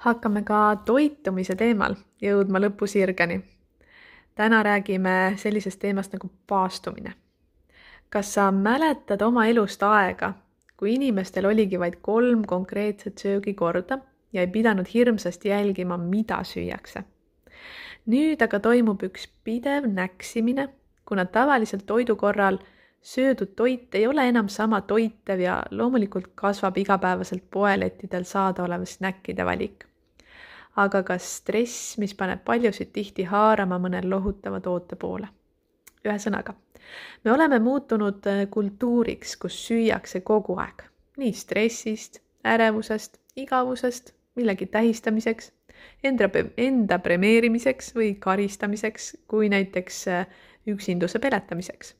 Hakkame ka toitumise teemal jõudma lõpusirgeni. Täna räägime sellisest teemast nagu paastumine. Kas sa mäletad oma elust aega, kui inimestel oligi vaid 3 konkreetset söögikorda ja ei pidanud hirmsasti jälgima, mida süüakse? Nüüd aga toimub üks pidev näksimine, kuna tavaliselt toidu korral söödud toit ei ole enam sama toitev ja loomulikult kasvab igapäevaselt poelettidel saadaolev snäkkide valik. Aga ka stress, mis paneb paljusid tihti haarama mõnel lohutava toote poole. Ühesõnaga, me oleme muutunud kultuuriks, kus süüakse kogu aeg. Nii stressist, ärevusest, igavusest, millegi tähistamiseks, enda premeerimiseks või karistamiseks, kui näiteks üksinduse peletamiseks.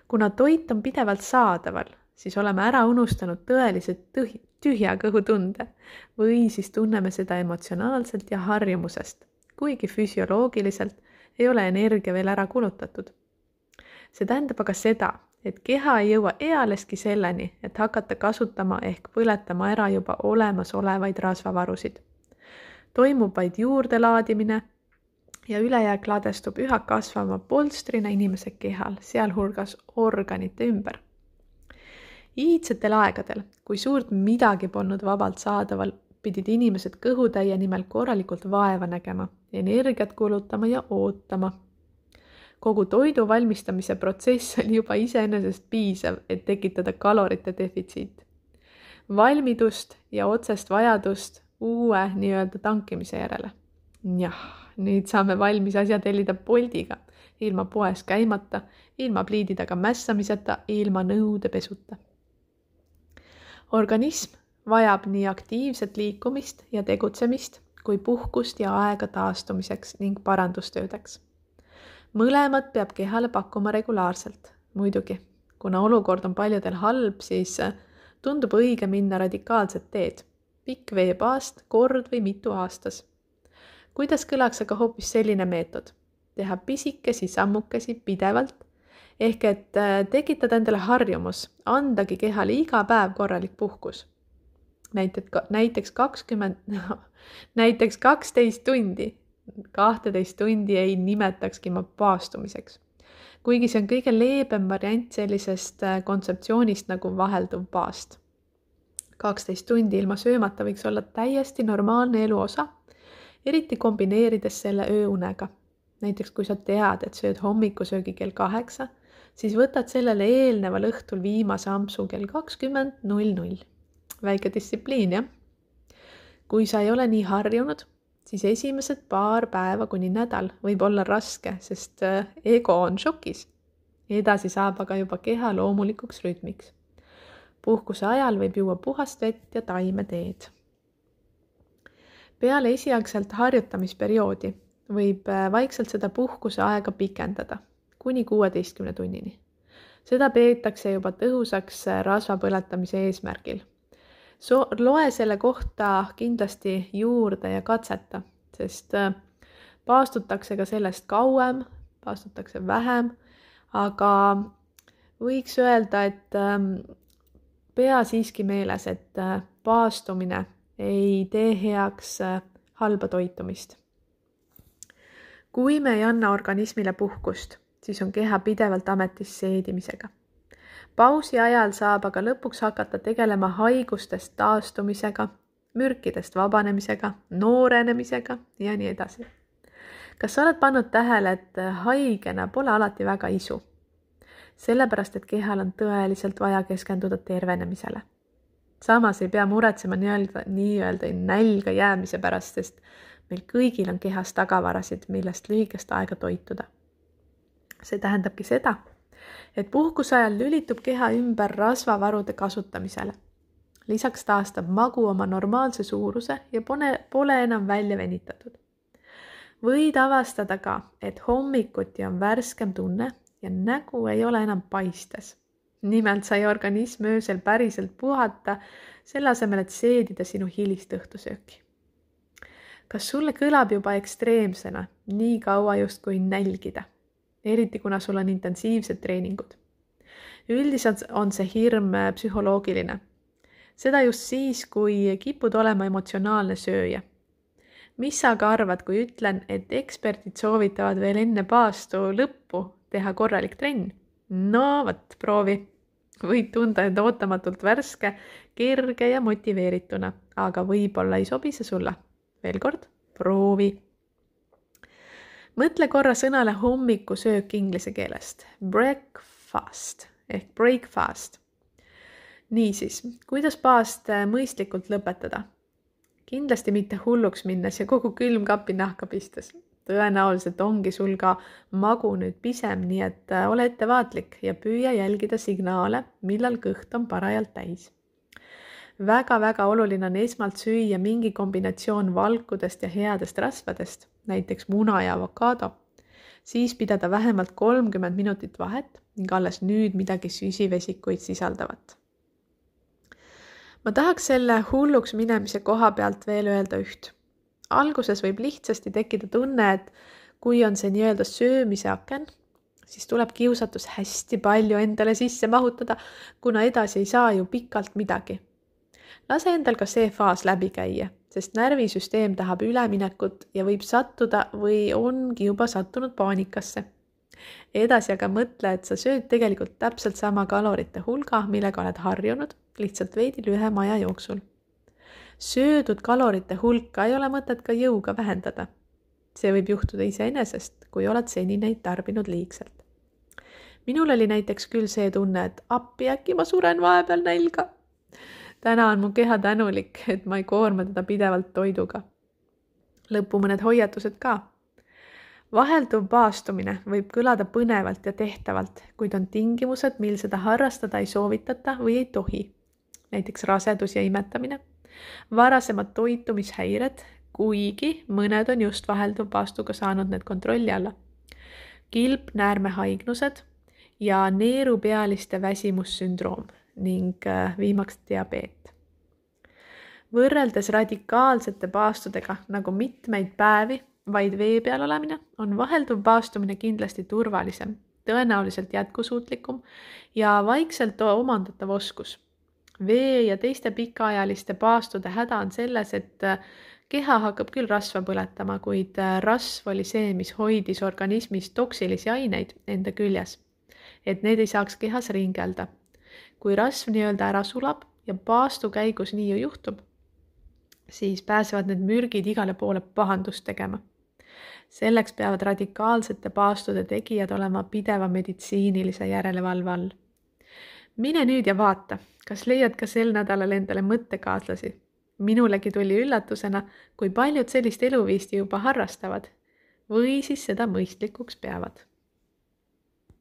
Kuna toit on pidevalt saadaval, siis oleme ära unustanud tõeliselt tühja kõhutunde või siis tunneme seda emotsionaalselt ja harjumusest, kuigi füsioloogiliselt ei ole energia veel ära kulutatud. See tähendab aga seda, et keha ei jõua ealeski selleni, et hakata kasutama ehk põletama ära juba olemasolevaid rasvavarusid. Toimub vaid juurdelaadimine ja ülejääk ladestub üha kasvama polstrina inimese kehal, sealhulgas organite ümber. Iidsetel aegadel, kui suurt midagi polnud vabalt saadaval, pidid inimesed kõhutäie nimel korralikult vaeva nägema, energiat kulutama ja ootama. Kogu toidu valmistamise protsess oli juba iseenesest piisav, et tekitada kalorite defitsiit. Valmidust ja otsest vajadust uue nii-öelda tankimise järele. Jah, nüüd saame valmis asja tellida Boltiga, ilma poes käimata, ilma pliidi taga mässamiseta, ilma nõude pesuta. Organism vajab nii aktiivset liikumist ja tegutsemist kui puhkust ja aega taastumiseks ning parandustöödeks. Mõlemad peab kehale pakkuma regulaarselt. Muidugi, kuna olukord on paljudel halb, siis tundub õige minna radikaalset teed. Pikk veepaast, kord või mitu aastas. Kuidas kõlaks aga hoopis selline meetod? Teha pisikesi sammukesi pidevalt, ehk et tekitada endale harjumus, andagi kehale iga päev korralik puhkus. Näiteks 12 tundi. 12 tundi ei nimetakski ma paastumiseks. Kuigi see on kõige leebem variant sellisest kontseptsioonist nagu vahelduv paast. 12 tundi ilma söömata võiks olla täiesti normaalne elu osa, eriti kombineerides selle ööunega. Näiteks kui sa tead, et sööd hommikusöögi kell 8, siis võtad sellele eelneval õhtul viimase ampsu kell 20:00. Väike distsipliin, jah? Kui sa ei ole nii harjunud, siis esimesed paar päeva kuni nädal võib olla raske, sest ego on šokis. Edasi saab aga juba keha loomulikuks rütmiks. Puhkuse ajal võib juua puhast vett ja taimeteed. Peale esialgselt harjutamisperioodi võib vaikselt seda puhkuse aega pikendada kuni 16 tunnini. Seda peetakse juba tõhusaks rasvapõletamise eesmärgil. Loe selle kohta kindlasti juurde ja katseta, sest paastutakse ka sellest kauem, paastutakse vähem, aga võiks öelda, et pea siiski meeles, et paastumine ei tee heaks halba toitumist. Kui me ei anna organismile puhkust, siis on keha pidevalt ametis seedimisega. Pausi ajal saab aga lõpuks hakata tegelema haigustest taastumisega, mürkidest vabanemisega, noorenemisega ja nii edasi. Kas sa oled pannud tähele, et haigena pole alati väga isu? Sellepärast, et kehal on tõeliselt vaja keskenduda tervenemisele. Samas ei pea muretsema nii-öelda nälga jäämise pärast, sest meil kõigil on kehas tagavarasid, millest lühikest aega toituda. See tähendabki seda, et puhkuse ajal lülitub keha ümber rasvavarude kasutamisele. Lisaks taastab magu oma normaalse suuruse ja pole enam välja venitatud. Võid avastada ka, et hommikuti on värskem tunne ja nägu ei ole enam paistes. Nimelt sai organism öösel päriselt puhata, selle asemel, et seedida sinu hilist õhtusööki. Kas sulle kõlab juba ekstreemsena nii kaua justkui nälgida? Eriti kuna sul on intensiivsed treeningud. Üldiselt on see hirm psühholoogiline. Seda just siis, kui kipud olema emotsionaalne sööja mis sa aga arvad, kui ütlen, et eksperdid soovitavad veel enne paastu lõppu teha korralik trenn? No vot, proovi. Võid tunda end ootamatult värske, kerge ja motiveerituna, aga võib-olla ei sobi see sulle. Veel kord, proovi. Mõtle korra sõnale hommikusöök inglise keelest. Breakfast ehk breakfast. Niisiis, kuidas paast mõistlikult lõpetada? Kindlasti mitte hulluks minnes ja kogu külmkapi nahka pistes. Tõenäoliselt ongi sul ka magu nüüd pisem, nii et ole ettevaatlik ja püüa jälgida signaale, millal kõht on parajalt täis. Väga-väga oluline on esmalt süüa mingi kombinatsioon valkudest ja headest rasvadest, näiteks muna ja avokaado. Siis pidada vähemalt 30 minutit vahet ning alles nüüd midagi süsivesikuid sisaldavat. Ma tahaks selle hulluks minemise koha pealt veel öelda üht. Alguses võib lihtsasti tekkida tunne, et kui on see nii-öelda söömise aken, siis tuleb kiusatus hästi palju endale sisse mahutada, kuna edasi ei saa ju pikalt midagi. Lase endal ka see faas läbi käia, sest närvisüsteem tahab üleminekut ja võib sattuda või ongi juba sattunud paanikasse. Edasi aga mõtle, et sa sööd tegelikult täpselt sama kalorite hulga, millega oled harjunud, lihtsalt veidi lühema aja jooksul. Söödud kalorite hulka ei ole mõtet ka jõuga vähendada. See võib juhtuda iseenesest, kui oled seni neid tarbinud liigselt. Minul oli näiteks küll see tunne, et appi äkki ma suren vahepeal nälga. Täna on mu keha tänulik, et ma ei koorma teda pidevalt toiduga. Lõppu mõned hoiatused ka. Vahelduv paastumine võib kõlada põnevalt ja tehtavalt, kuid on tingimused, mil seda harrastada ei soovitata või ei tohi. Näiteks rasedus ja imetamine, varasemad toitumishäired, kuigi mõned on just vahelduv paastuga saanud need kontrolli alla. Kilpnäärmehaignused ja neerupealiste väsimussündroom ning viimaks diabeet. Võrreldes radikaalsete paastudega nagu mitmeid päevi vaid vee peal olemine, on vahelduv paastumine kindlasti turvalisem, tõenäoliselt jätkusuutlikum ja vaikselt omandatav oskus. Vee ja teiste pikaajaliste paastude häda on selles, et keha hakkab küll rasva põletama, kuid rasv oli see, mis hoidis organismis toksilisi aineid enda küljes, et need ei saaks kehas ringelda. Kui rasv nii-öelda ära sulab ja paastu käigus nii ju juhtub, siis pääsevad need mürgid igale poole pahandust tegema. Selleks peavad radikaalsete paastude tegijad olema pideva meditsiinilise järelevalve all. Mine nüüd ja vaata, kas leiad ka sel nädalal endale mõttekaaslasi. Minulegi tuli üllatusena, kui paljud sellist eluviisti juba harrastavad või siis seda mõistlikuks peavad.